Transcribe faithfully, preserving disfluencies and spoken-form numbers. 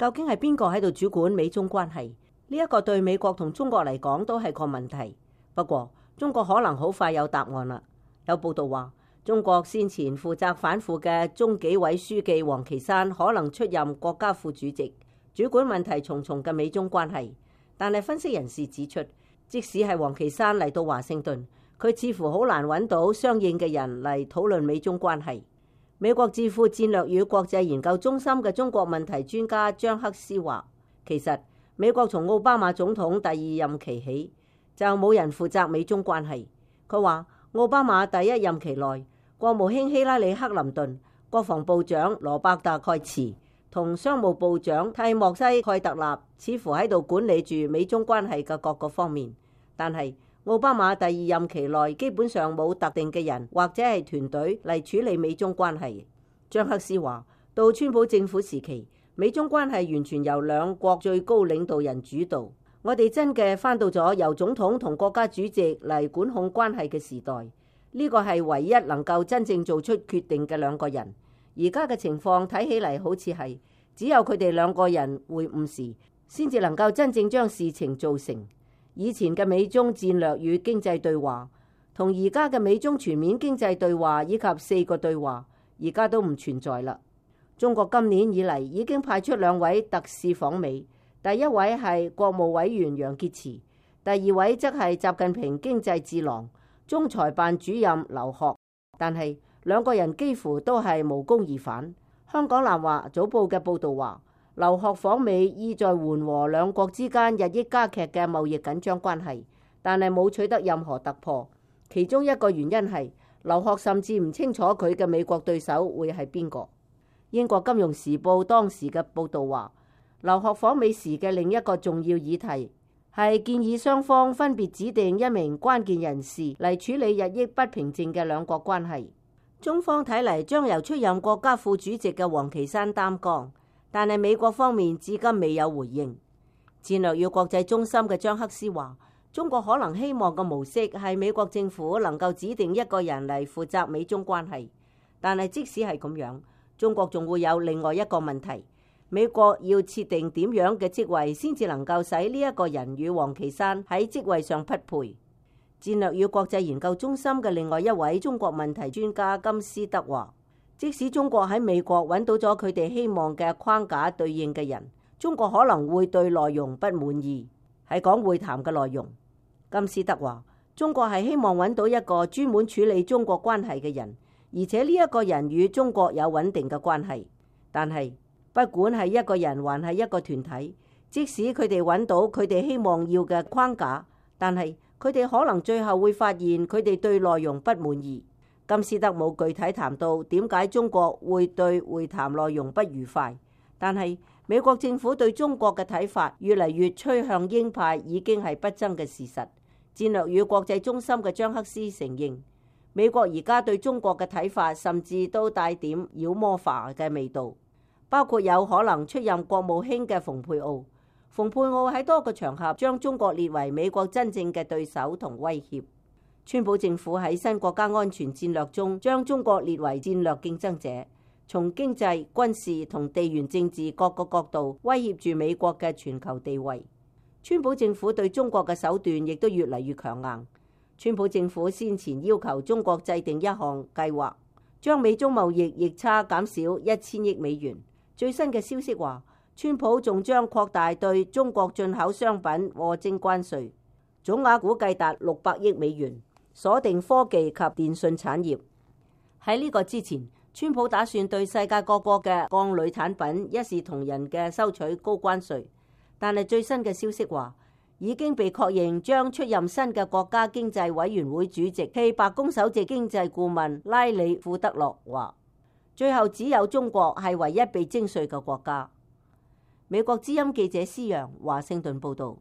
究竟係邊個喺度主管美中關係？呢一個對美國同中國嚟講都係個問題。不過中國可能好快有答案啦。有報道話，中國先前負責反腐嘅中紀委書記王岐山可能出任國家副主席，主管問題重重嘅美中關係。但係分析人士指出，即使係王岐山嚟到華盛頓，佢似乎好難揾到相應嘅人嚟討論美中關係。美國智庫戰略與國際研究中心嘅中國問題專家張克斯話，其實美國從奧巴馬總統第二任期起就冇人負責美中關係。佢話奧巴馬第一任期內，國務卿希拉里克林頓、國防部長羅伯特蓋茨同商務部長蒂莫西蓋特納似乎喺度管理住美中關係嘅各個方面，但係奧巴馬第二任期內基本上冇特定嘅人或者係團隊嚟處理美中關係。張克斯話，到川普政府時期，美中關係完全由兩國最高領導人主導。我哋真嘅返到咗由總統同國家主席嚟管控關係嘅時代。呢個係唯一能夠真正做出決定嘅兩個人。而家嘅情況睇起嚟好似係只有佢哋兩個人會晤時，先至能夠真正將事情做成。以前嘅美中戰略與經濟對話，同而家嘅美中全面經濟對話以及四個對話，而家都唔存在啦。中國今年以嚟已經派出兩位特使訪美，第一位係國務委員楊潔篪，第二位則係習近平經濟智囊、中裁辦主任劉鶴。但係兩個人幾乎都係無功而返。香港南華早報嘅報導話，劉鶴訪美意在緩和兩國之間日益加劇嘅貿易緊張關係，但係冇取得任何突破。其中一個原因係劉鶴甚至唔清楚佢嘅美國對手會係邊個。英國金融時報當時嘅報導話，劉鶴訪美時嘅另一個重要議題係建議雙方分別指定一名關鍵人士嚟處理日益不平靜嘅兩國關係。中方睇嚟將由出任國家副主席嘅王岐山擔綱。但係美國方面至今未有回應。戰略與國際中心嘅張克斯話，中國可能希望嘅模式係美國政府能夠指定一個人嚟負責美中關係。但係即使係咁樣，中國仲會有另外一個問題，美國要設定點樣嘅職位先至能夠使呢一個人與王岐山喺職位上匹配。戰略與國際研究中心嘅另外一位中國問題專家金斯德話，即使中國喺美國揾到咗佢哋希望嘅框架對應嘅人，中國可能會對內容不滿意。係講會談嘅內容，金斯德話，中國係希望揾到一個專門處理中國關係嘅人，而且呢一個人與中國有穩定嘅關係。但係不管係一個人還係一個團體，即使佢哋揾到佢哋希望要嘅框架，但係佢哋可能最後會發現佢哋對內容不滿意。金斯德冇具體談到點解中國會對會談內容不愉快，但係美國政府對中國嘅睇法越嚟越趨向鷹派已經係不爭嘅事實。戰略與國際中心嘅張克斯承認，美國而家對中國嘅睇法甚至都帶點妖魔化嘅味道，包括有可能出任國務卿嘅蓬佩奧。蓬佩奧喺多個場合將中國列為美國真正嘅對手同威脅。川普政府喺新國家安全戰略中將中國列為戰略競爭者，從經濟、軍事同地緣政治各個角度威脅住美國嘅全球地位。川普政府對中國嘅手段亦都越嚟越強硬。川普政府先前要求中國制定一項計劃，將美中貿易逆差減少一千億美元。最新嘅消息話，川普仲將擴大對中國進口商品課徵關稅，總額估計達六百億美元。鎖定科技及電信產業。喺呢個之前，川普打算對世界各國嘅鋼鋁產品一視同仁嘅收取高關稅，但係最新嘅消息話，已經被確認將出任新嘅國家經濟委員會主席暨白宮首席經濟顧問拉里庫德洛話，最後只有中國係唯一被徵稅嘅國家。美國之音記者施揚華盛頓報導。